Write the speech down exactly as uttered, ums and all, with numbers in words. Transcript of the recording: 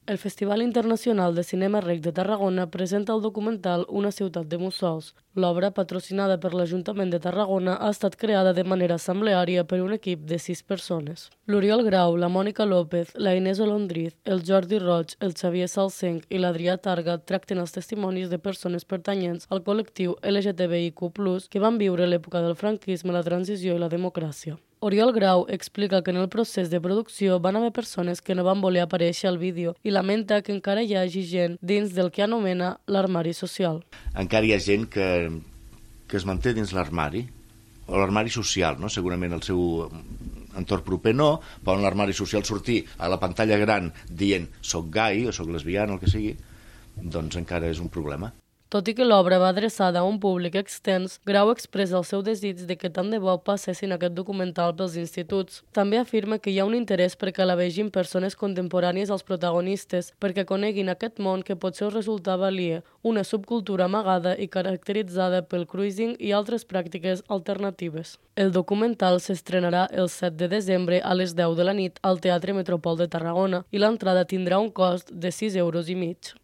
El Festival Internacional de Cinema Rec de Tarragona presenta el documental Una ciutat de mussols. L'obra, patrocinada per l'Ajuntament de Tarragona, ha estat creada de manera assembleària per un equip de sis persones. L'Oriol Grau, la Mònica López, la Inés Olondriz, el Jordi Roig, el Xavier Salsenc i l'Adrià Targa tracten els testimonis de persones pertanyents al col·lectiu L G T B I Q plus, que van viure l'època del franquisme, la transició i la democràcia. Oriol Grau explica que en el procés de producció van haver persones que no van voler aparèixer al vídeo i lamenta que encara hi hagi gent dins del que anomena l'armari social. Encara hi ha gent que, que es manté dins l'armari, o l'armari social, no? Segurament el seu entorn proper no, però en l'armari social sortir a la pantalla gran dient soc gai o soc lesbiana o el que sigui, doncs encara és un problema. Tot i que l'obra va adreçada a un públic extens, Grau expressa el seu desig de que tant de bo passessin aquest documental pels instituts. També afirma que hi ha un interès perquè la vegin persones contemporànies als protagonistes, perquè coneguin aquest món que potser us resultava aliè, una subcultura amagada i caracteritzada pel cruising i altres pràctiques alternatives. El documental s'estrenarà el set de desembre a les deu de la nit al Teatre Metropol de Tarragona i l'entrada tindrà un cost de sis euros i mig.